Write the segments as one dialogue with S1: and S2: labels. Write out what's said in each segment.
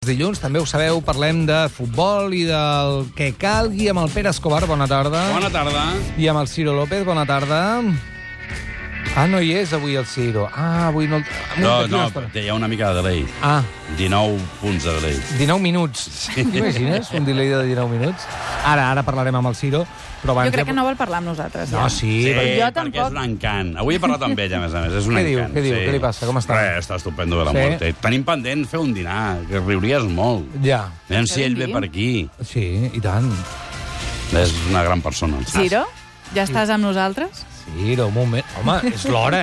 S1: Dilluns, també ho sabeu, parlem de futbol i del que calgui amb el Pere Escobar. Bona tarda.
S2: Bona tarda.
S1: I amb el Ciro López. Bona tarda. No hi és avui el Ciro. Avui no...
S2: No, hi ha una mica de delay. 19 punts de delay.
S1: 19 minuts. Sí. T'imagines? Un delay de 19 minuts. Ara parlarem amb el Ciro. Però
S3: jo crec que no vol parlar amb nosaltres.
S1: No, sí.
S2: Perquè és un encant. Avui he parlat amb ell, a més. És un encant.
S1: Què diu? Què li passa? Com està?
S2: Està estupendo de la mort. Tenim pendent fer un dinar, que riuries molt.
S1: Ja.
S2: Aviam si ell ve per aquí.
S1: Sí, i tant.
S2: És una gran persona.
S3: Ciro, ja estàs amb nosaltres?
S1: Ciro, un moment. Home, és l'hora,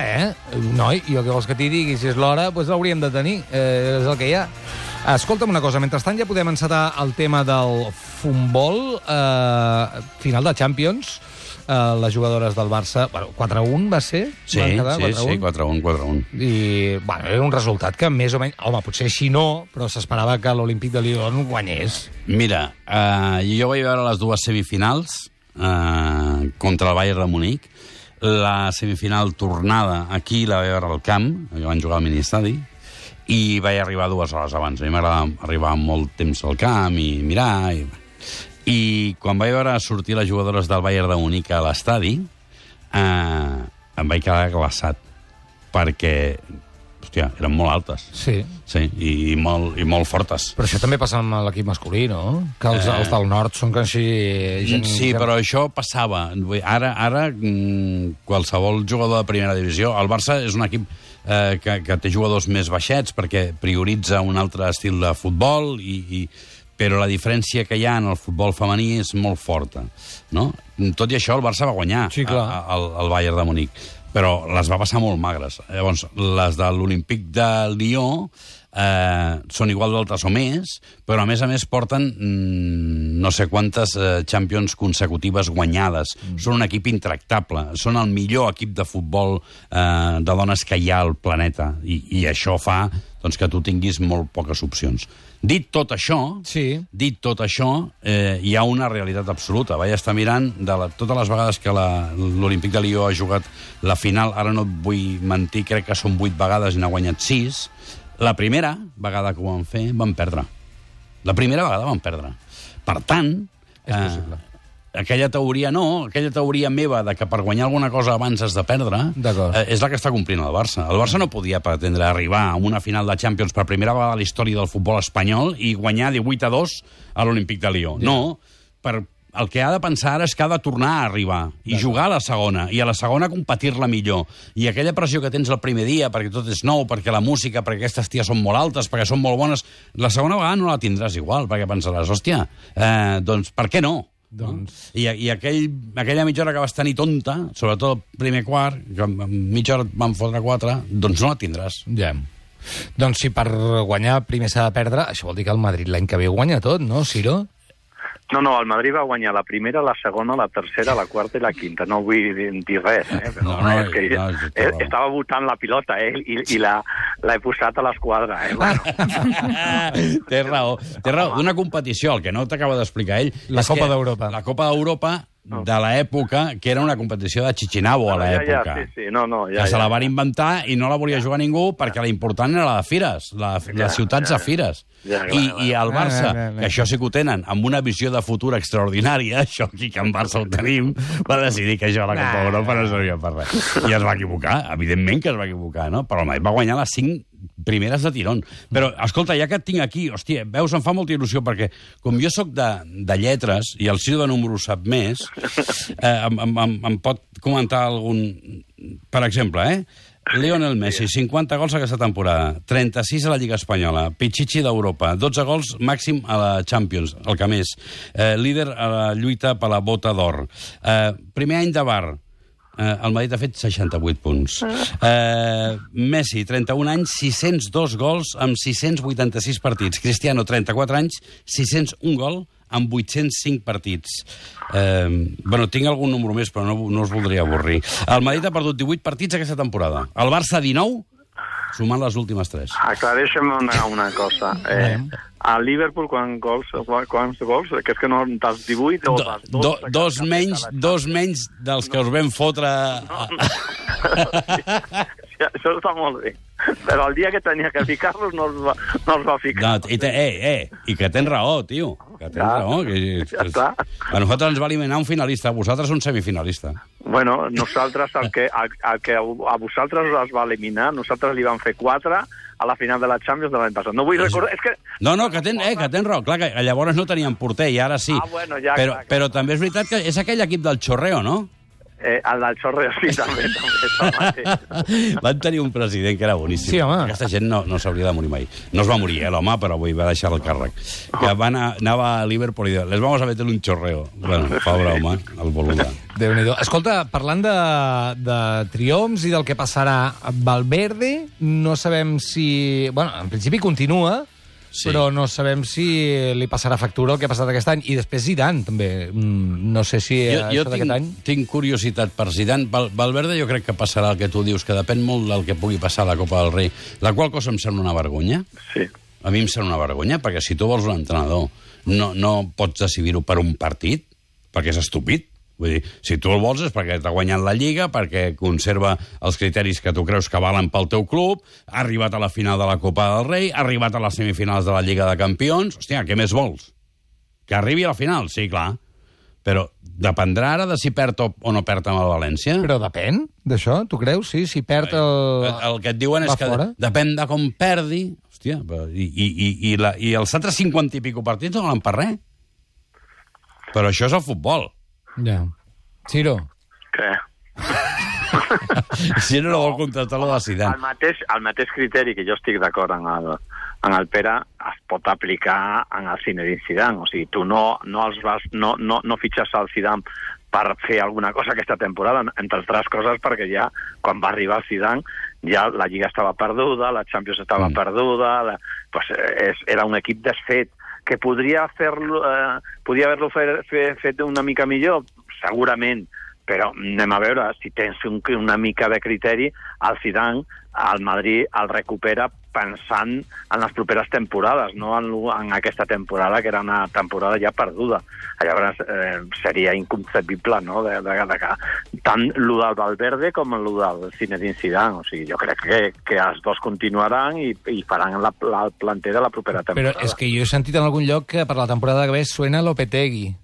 S1: Noi, jo què vols que t'hi digui? Si és l'hora, doncs l'hauríem de tenir. És el que hi ha. Escolta'm una cosa, mentrestant ja podem encetar el tema del futbol, final de Champions, les jugadores del Barça, 4-1 va ser?
S2: Sí, 4-1. I,
S1: era un resultat que més o menys... Home, potser així no, però s'esperava que l'Olímpic de Lyon guanyés.
S2: Mira, jo vaig veure les dues semifinals contra el Bayern de Munic. La semifinal tornada aquí la vaig veure al camp, que van jugar al ministadi, i vaig arribar 2 hores abans. A mi m'agrada arribar molt temps al camp i mirar. I quan vaig veure sortir les jugadores del Bayern de Munic a l'estadi, em vaig quedar glaçat, perquè, hòstia, eren molt altes.
S1: Sí.
S2: Sí, i molt fortes.
S1: Però això també passa amb l'equip masculí, no? Que els del nord són que així...
S2: Sí, però això passava. Ara qualsevol jugador de primera divisió... El Barça és un equip que té jugadors més baixets perquè prioritza un altre estil de futbol, però la diferència que hi ha en el futbol femení és molt forta, no? Tot i això, el Barça va guanyar el Bayern de Munic, però les va passar molt magres. Llavors, les de l'Olímpic de Lió són igual d'altes o més, però a més porten no sé quantes Champions consecutives guanyades. Són un equip intractable, són el millor equip de futbol de dones que hi ha al planeta, i això fa que tu tinguis molt poques opcions. Dit tot això, hi ha una realitat absoluta. Vaig estar mirant totes les vegades que l'Olímpic de Lió ha jugat la final, ara no et vull mentir, crec que són 8 vegades i n'ha guanyat 6. La primera vegada que ho van fer, van perdre. La primera vegada van perdre. Per tant, aquella teoria meva de que per guanyar alguna cosa abans has de perdre, és la que està complint el Barça. El Barça no podia pretendre arribar a una final de Champions per primera vegada a la història del futbol espanyol i guanyar 18-2 a l'Olímpic de Lió. No, el que ha de pensar ara és que ha de tornar a arribar i jugar a la segona, i a la segona competir-la millor. I aquella pressió que tens el primer dia, perquè tot és nou, perquè la música, perquè aquestes ties són molt altes, perquè són molt bones, la segona vegada no la tindràs igual, perquè pensaràs, hòstia, doncs per què no? I aquella mitja hora que vas tenir tonta, sobretot el primer quart, que mitja hora et van fotre 4, doncs no la tindràs.
S1: Ja. Doncs si per guanyar primer s'ha de perdre, això vol dir que el Madrid l'any que ve guanya tot, no, Ciro?
S4: No, el Madrid va guanyar la primera, la segona, la tercera, la quarta i la quinta. No vull dir res, però estava votant la pilota, i l'he posat a l'esquadra,
S2: Té raó. Una competició, el que no t'acaba d'explicar ell...
S1: La Copa d'Europa.
S2: La Copa d'Europa de l'època, que era una competició de Chichinabo a l'època. Que se la van inventar i no la volia jugar ningú perquè la important era la de Fires, les ciutats de Fires. I el Barça, que això sí que ho tenen, amb una visió de futur extraordinària, això aquí que en Barça ho tenim, va decidir que això a la Copa d'Europa no servia per res. I es va equivocar, evidentment que es va equivocar, no? Però el Madrid va guanyar les 5 primeres de tirón. Però, escolta, ja que et tinc aquí, hòstia, veus, em fa molta il·lusió, perquè com jo sóc de lletres, i el Ciro de números sap més, em pot comentar algun... Per exemple, Lionel Messi, 50 gols aquesta temporada, 36 a la Lliga Espanyola, Pichichi d'Europa, 12 gols màxim a la Champions, el que més, líder a la lluita per la bota d'or. Primer any de Bar, el Madrid ha fet 68 punts. Messi, 31 anys, 602 gols amb 686 partits. Cristiano, 34 anys, 601 gol amb 805 partits. Tinc algun número més, però no us voldria avorrir. El Madrid ha perdut 18 partits aquesta temporada. El Barça, 19, sumant les últimes 3.
S4: Aclareixem una cosa. A Liverpool, quants gols? Que és que no dels 18 o dels 2?
S2: Dos menys dels que us vam fotre...
S4: Això està molt bé. Però el dia que tenia que ficar-los no els va ficar.
S2: No, i que tens raó, tio. Que tens raó. A nosaltres ens va eliminar un finalista, a vosaltres un semifinalista.
S4: Bueno, nosaltres, el que a vosaltres us va eliminar, nosaltres li vam fer 4 a la final de la Champions de l'any passat. No vull recordar... És que...
S2: No, que tens raó. Clar, que llavors no tenien porter, i ara sí.
S4: Bueno, ja,
S2: però també és veritat que és aquell equip del Chorreo, no?
S4: El del Chorreo, sí, també.
S2: Van tenir un president que era boníssim.
S1: Sí, home.
S2: Aquesta gent no s'hauria de morir mai. No es va morir, l'home, però va deixar el càrrec. Que anava a Liverpool i diu, les vamos a meter un chorreo. Bueno, pobre home, el voluntari.
S1: Déu-n'hi-do. Escolta, parlant de triomfs i del que passarà, Valverde, no sabem si... Bueno, en principi continua, sí, però no sabem si li passarà factura el que ha passat aquest any. I després Zidane, també. No sé si
S2: jo d'aquest any... tinc curiositat per Zidane. Valverde jo crec que passarà el que tu dius, que depèn molt del que pugui passar a la Copa del Rei, la qual cosa em sembla una vergonya.
S4: Sí.
S2: A mi em sembla una vergonya, perquè si tu vols un entrenador no pots decidir-ho per un partit, perquè és estúpid. Vull dir, si tu el vols és perquè t'ha guanyat la Lliga, perquè conserva els criteris que tu creus que valen pel teu club, ha arribat a la final de la Copa del Rei, ha arribat a les semifinals de la Lliga de Campions... Hòstia, què més vols? Que arribi a la final? Sí, clar. Però dependrà ara de si perd o no perd amb el València?
S1: Però depèn d'això, tu creus? Sí, si perd
S2: el que et diuen és que depèn de com perdi... Hòstia, i els altres 50 i pico partits no valen per res. Però això és el futbol.
S1: Ja. Ciro.
S4: Què?
S2: Ciro no vol contractar lo de Zidane.
S4: El mateix criteri que jo estic d'acord en el Pere es pot aplicar en el Zinedine Zidane. O sigui, tu no fitxes al Zidane per fer alguna cosa aquesta temporada, entre altres coses perquè ja, quan va arribar el Zidane, ja la Lliga estava perduda, la Champions estava perduda, era un equip desfet, que podria haver-lo fet una mica millor, segurament, però anem a veure, si tens una mica de criteri, el Zidane, el Madrid, el recupera pensant en les properes temporades, no en aquesta temporada, que era una temporada ja perduda. Llavors seria inconcebible, no?, tant el del Valverde com el del Zinedine Zidane. O sigui, jo crec que els dos continuaran i faran el planter de la propera temporada.
S1: Però és que jo he sentit en algun lloc que per la temporada que ve suena Lopetegui.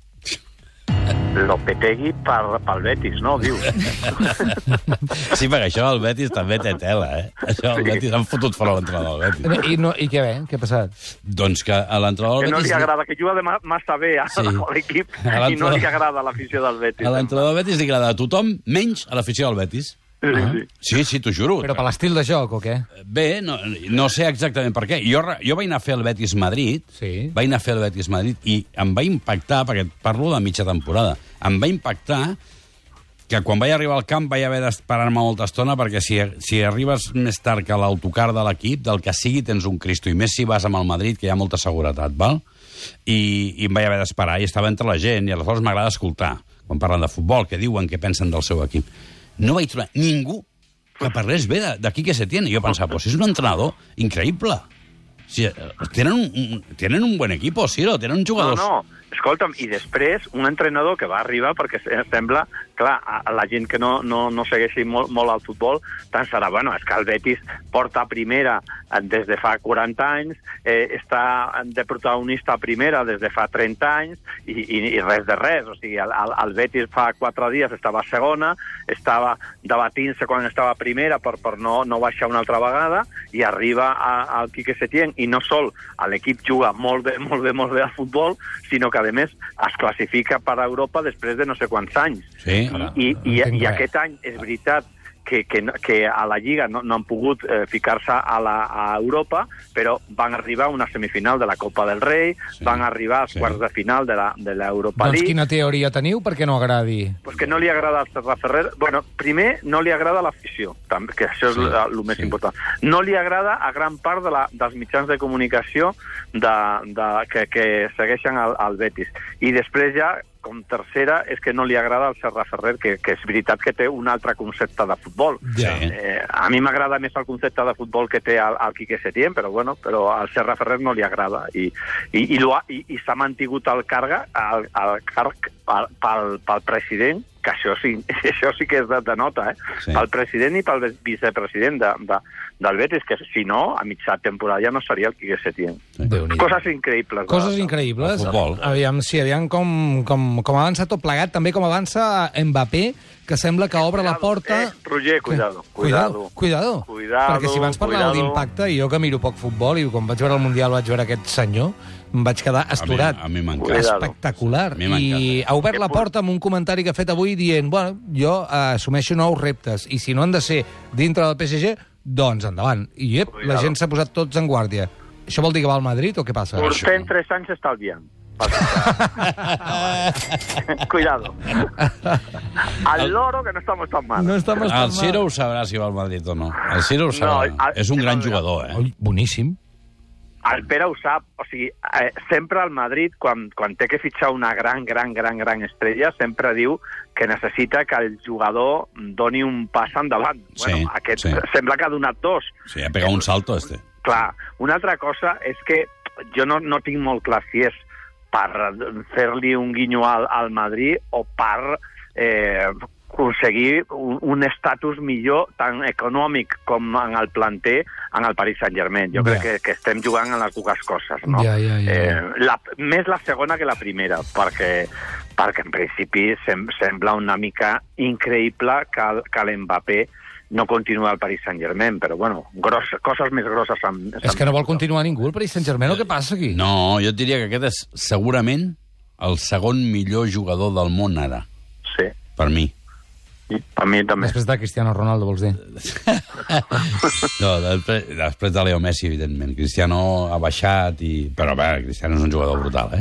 S4: Lopetegui pel Betis, no? Diu.
S2: Sí, perquè això el Betis també té tela, eh? Això el Betis han fotut fora l'entrenador del Betis.
S1: I què ve? Què ha passat?
S2: Doncs que a l'entrenador del Betis...
S4: Que no li agrada, que juga massa bé a l'equip i no li agrada l'afició del Betis.
S2: A l'entrenador del Betis li agrada a tothom, menys a l'afició del Betis. Sí, t'ho juro.
S1: Però per l'estil de joc, o què?
S2: Bé, no sé exactament per què. Jo vaig anar a fer el Betis-Madrid, i em va impactar, perquè parlo de mitja temporada, em va impactar que quan vaig arribar al camp vaig haver d'esperar-me molta estona, perquè si arribes més tard que l'autocar de l'equip, del que sigui tens un Cristo, i més si vas amb el Madrid, que hi ha molta seguretat, val? I em vaig haver d'esperar, i estava entre la gent, i aleshores m'agrada escoltar, quan parlen de futbol, què diuen, què pensen del seu equip. No vaig trobar ningú que parlés bé d'aquí que se tiene. Jo pensava, pues és un entrenador increïble. Sí, tenen un buen equipo, sí, tenen jugadors...
S4: No, escolta'm, i després un entrenador que va arribar, perquè sembla, clar, a la gent que no segueixi molt el futbol, pensarà, bueno, és que el Betis porta a primera des de fa 40 anys, està de protagonista a primera des de fa 30 anys, i res de res. O sigui, el Betis fa 4 dies estava a segona, estava debatint-se quan estava a primera per no baixar una altra vegada, i arriba al Quique Setién, i no sol l'equip juga molt bé al futbol, sinó que a més es classifica per a Europa després de no sé quants anys.
S2: Sí,
S4: I aquest any és veritat que a la Lliga no han pogut ficar-se a Europa, però van arribar a una semifinal de la Copa del Rei, van arribar als quarts de final de l'Europa League.
S1: Doncs quina teoria teniu perquè no agradi?
S4: Pues que no li agrada al Serra Ferrer. Bueno, primer, no li agrada l'afició, que això és el més important. No li agrada a gran part dels mitjans de comunicació que segueixen el Betis. I després ja, com tercera, és que no li agrada al Serra Ferrer, que és veritat que té un altre concepte de futbol.
S2: Sí.
S4: A mi m'agrada més el concepte de futbol que té el Quique Setién, però al Serra Ferrer no li agrada. I s'ha mantingut el càrrec pel president, que això sí que és de nota, pel president i pel vicepresident del Betis, que si no, a mitja temporada ja no seria el Quique Setién. Coses increïbles.
S1: Coses increïbles. Aviam com avança tot plegat, també com avança Mbappé, que sembla que obre la porta...
S4: Roger, cuidado.
S1: Perquè si abans parlàveu d'impacte, i jo que miro poc futbol, i quan vaig veure el Mundial vaig veure aquest senyor, em vaig quedar astorat.
S2: A mi m'encanta.
S1: Espectacular. I ha obert la porta amb un comentari que ha fet avui dient, bueno, jo assumeixo nous reptes, i si no han de ser dintre del PSG, doncs endavant. I la gent s'ha posat tots en guàrdia. Això vol dir que va al Madrid o què passa?
S4: Portem 3 anys estalviant. Cuidado. Al loro que no estamos tan mal.
S2: El Ciro ho sabrà si va al Madrid o no. El Ciro ho sabrà. És un gran jugador,
S1: Boníssim.
S4: El Pere ho sap, o sigui, sempre al Madrid, quan té que fitxar una gran estrella, sempre diu que necessita que el jugador doni un pas endavant. Bueno, aquest sembla que ha donat 2.
S2: Sí, ha pegat un salto,
S4: Clar, una altra cosa és que jo no tinc molt clar si és per fer-li un guinyo al Madrid o per aconseguir un estatus millor tant econòmic com en el planter en el Paris Saint-Germain. Jo crec que estem jugant en les dues coses, no? Més la segona que la primera, perquè en principi sembla una mica increïble que l'Mbappé no continua al Paris Saint-Germain, però bueno, coses més grosses...
S1: És que no vol continuar ningú al Paris Saint-Germain, o què passa aquí?
S2: No, jo et diria que aquest és segurament el segon millor jugador del món ara.
S4: Sí.
S2: Per mi.
S4: I per mi també.
S1: Després de Cristiano Ronaldo, vols dir?
S2: No, després de Leo Messi, evidentment. Cristiano ha baixat, però bé, Cristiano és un jugador brutal,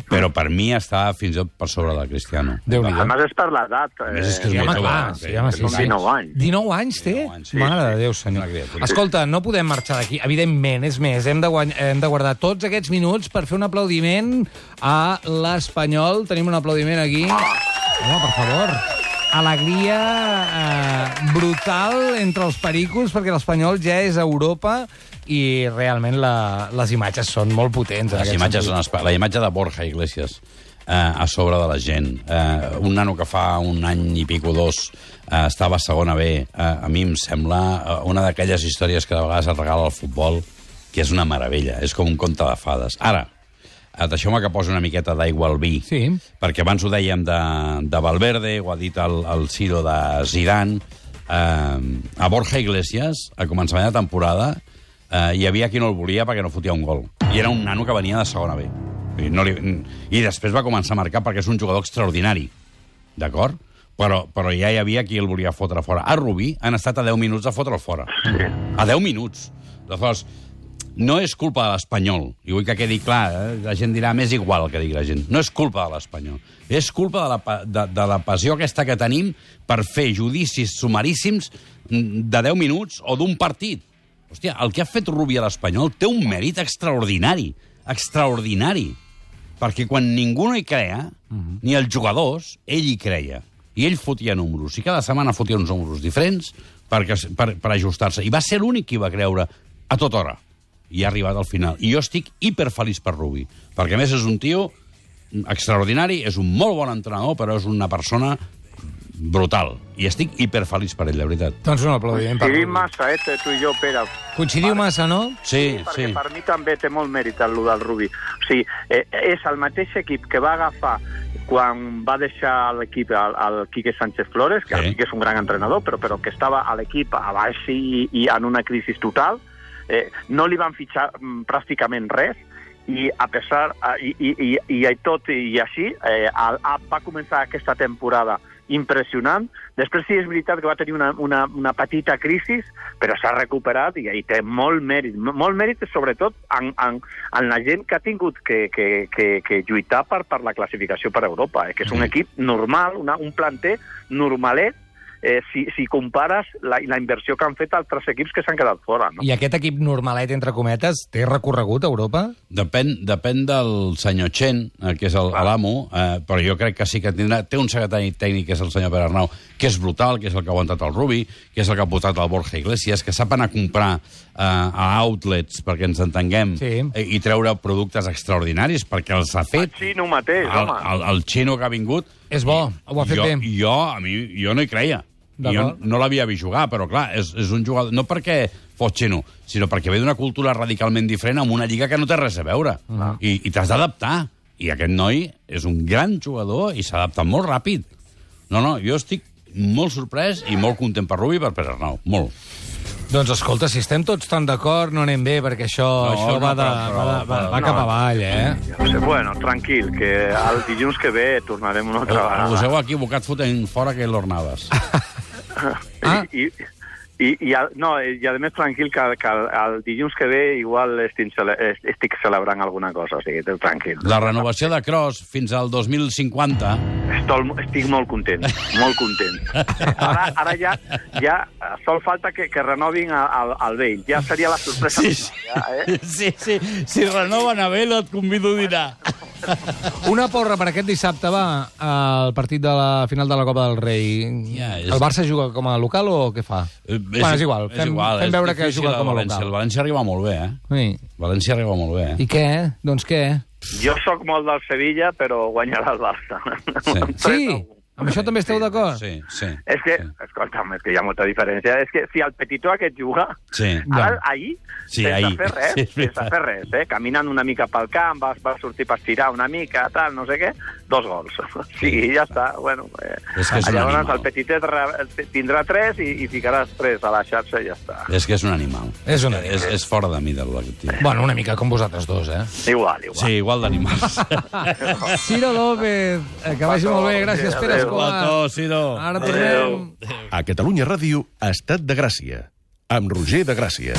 S2: Però per mi està fins i tot per sobre de Cristiano.
S4: A més és per l'edat.
S2: És que és molt jove.
S4: Sí, 19 anys.
S1: 19 anys té? Mare de Déu, senyor. Escolta, no podem marxar d'aquí. Evidentment, és més, hem de guardar tots aquests minuts per fer un aplaudiment a l'Espanyol. Tenim un aplaudiment aquí. Home, per favor. Alegria brutal entre els pericos, perquè l'Espanyol ja és a Europa i realment les imatges són molt potents.
S2: Les imatges són la imatge de Borja Iglesias a sobre de la gent. Un nano que fa un any i pico, 2, estava a segona B. A mi em sembla una d'aquelles històries que de vegades et regala el futbol, que és una meravella. És com un conte de fades. Ara, deixeu-me que posi una miqueta d'aigua al vi, perquè abans ho dèiem de Valverde, ho ha dit el Ciro de Zidane. A Borja Iglesias, a començament de temporada, hi havia qui no el volia perquè no fotia un gol. I era un nano que venia de segona B. I després va començar a marcar perquè és un jugador extraordinari, d'acord? Però ja hi havia qui el volia fotre fora. A Rubí han estat a 10 minuts de fotre'l fora. A 10 minuts. Aleshores, no és culpa de l'Espanyol, i vull que quedi clar, la gent dirà, m'és igual que digui la gent. No és culpa de l'Espanyol. És culpa de la passió aquesta que tenim per fer judicis sumaríssims de 10 minuts o d'un partit. Hòstia, el que ha fet Rubí a l'Espanyol té un mèrit extraordinari. Extraordinari. Perquè quan ningú no hi creia, ni els jugadors, ell hi creia. I ell fotia números. I cada setmana fotia uns números diferents per ajustar-se. I va ser l'únic que hi va creure a tota hora. I ha arribat al final. I jo estic hiperfeliç per Rubí, perquè a més és un tio extraordinari, és un molt bon entrenador, però és una persona brutal. I estic hiperfeliç per ell, de veritat.
S1: Doncs un aplaudiment per
S4: Coincidim massa, tu i jo, Pere.
S1: Coincidiu massa, no?
S2: Sí.
S4: Perquè per mi també té molt mèrit el del Rubí. O sigui, és el mateix equip que va agafar quan va deixar l'equip el Quique Sánchez Flores, que el Quique és un gran entrenador, però que estava a l'equip a baix i en una crisi total. No li van fitxar pràcticament res i a pesar i tot i així va començar aquesta temporada impressionant. Després sí és veritat que va tenir una petita crisi, però s'ha recuperat i té molt mèrit sobretot en la gent que ha tingut que lluitar per la classificació per Europa, que és un equip normal, un planter normalet, si compares la inversió que han fet altres equips que s'han quedat fora. No?
S1: I aquest equip normalet, entre cometes, té recorregut a Europa?
S2: Depèn del senyor Chen, que és l'amo, però jo crec que sí que té un secretari tècnic, que és el senyor Pere Arnau, que és brutal, que és el que ha aguantat el Rubí, que és el que ha portat el Borja Iglesias, que sap anar a comprar a outlets, perquè ens entenguem, i treure productes extraordinaris, perquè els ha fet...
S4: El xino mateix, home.
S2: El xino que ha vingut...
S1: És bo, ho ha fet bé.
S2: Jo no hi creia. Jo no l'havia vist jugar, però clar, és un jugador... No perquè fos xino, sinó perquè ve d'una cultura radicalment diferent amb una lliga que no té res a veure. I t'has d'adaptar. I aquest noi és un gran jugador i s'ha adaptat molt ràpid. No, jo estic molt sorprès i molt content per Rubi i per Pere Arnau. Molt.
S1: Doncs escolta, si estem tots tan d'acord, no anem bé, perquè això va cap avall,
S4: Bueno, tranquil, que el dilluns que ve tornarem una altra vegada.
S2: Us heu equivocat fotent fora que l'Ornavas.
S4: I a més tranquil que el dilluns que ve igual estic celebrant alguna cosa, o sigui, tranquil.
S2: La renovació de Kroos fins al 2050...
S4: Estic molt content, molt content. Ara ja sol falta que renovin el Bale, ja seria la sorpresa.
S2: Sí, si renoven a Bale et convido a dinar.
S1: Una porra per aquest dissabte, va, al partit de la final de la Copa del Rei. El Barça juga com a local o què fa? És igual, fem veure que juga com a local.
S2: El València arriba molt bé,
S1: Sí.
S2: València arriba molt bé,
S1: I què? Doncs què?
S4: Jo sóc molt del Sevilla, però guanyarà el Barça.
S1: Sí? Amb això també esteu d'acord?
S2: Sí.
S4: És que, escolta'm, és que hi ha molta diferència. És que si el petitó aquest juga, ara, ahir, sense fer res, caminant una mica pel camp, va sortir per estirar una mica, tal, no sé què, 2 gols. Sí, ja està. Bueno, llavors el petitet tindrà 3 i ficaràs 3 a la xarxa i ja està.
S2: És que és un animal. És fora de mida, aquest tio.
S1: Bueno, una mica com vosaltres dos,
S4: Igual.
S2: Sí, igual d'animals.
S1: Ciro López, que vagi molt bé. Gràcies, Pere Escobar.
S2: Ciro.
S1: Ara tornem.
S5: A Catalunya Ràdio, Estat de Gràcia, amb Roger de Gràcia.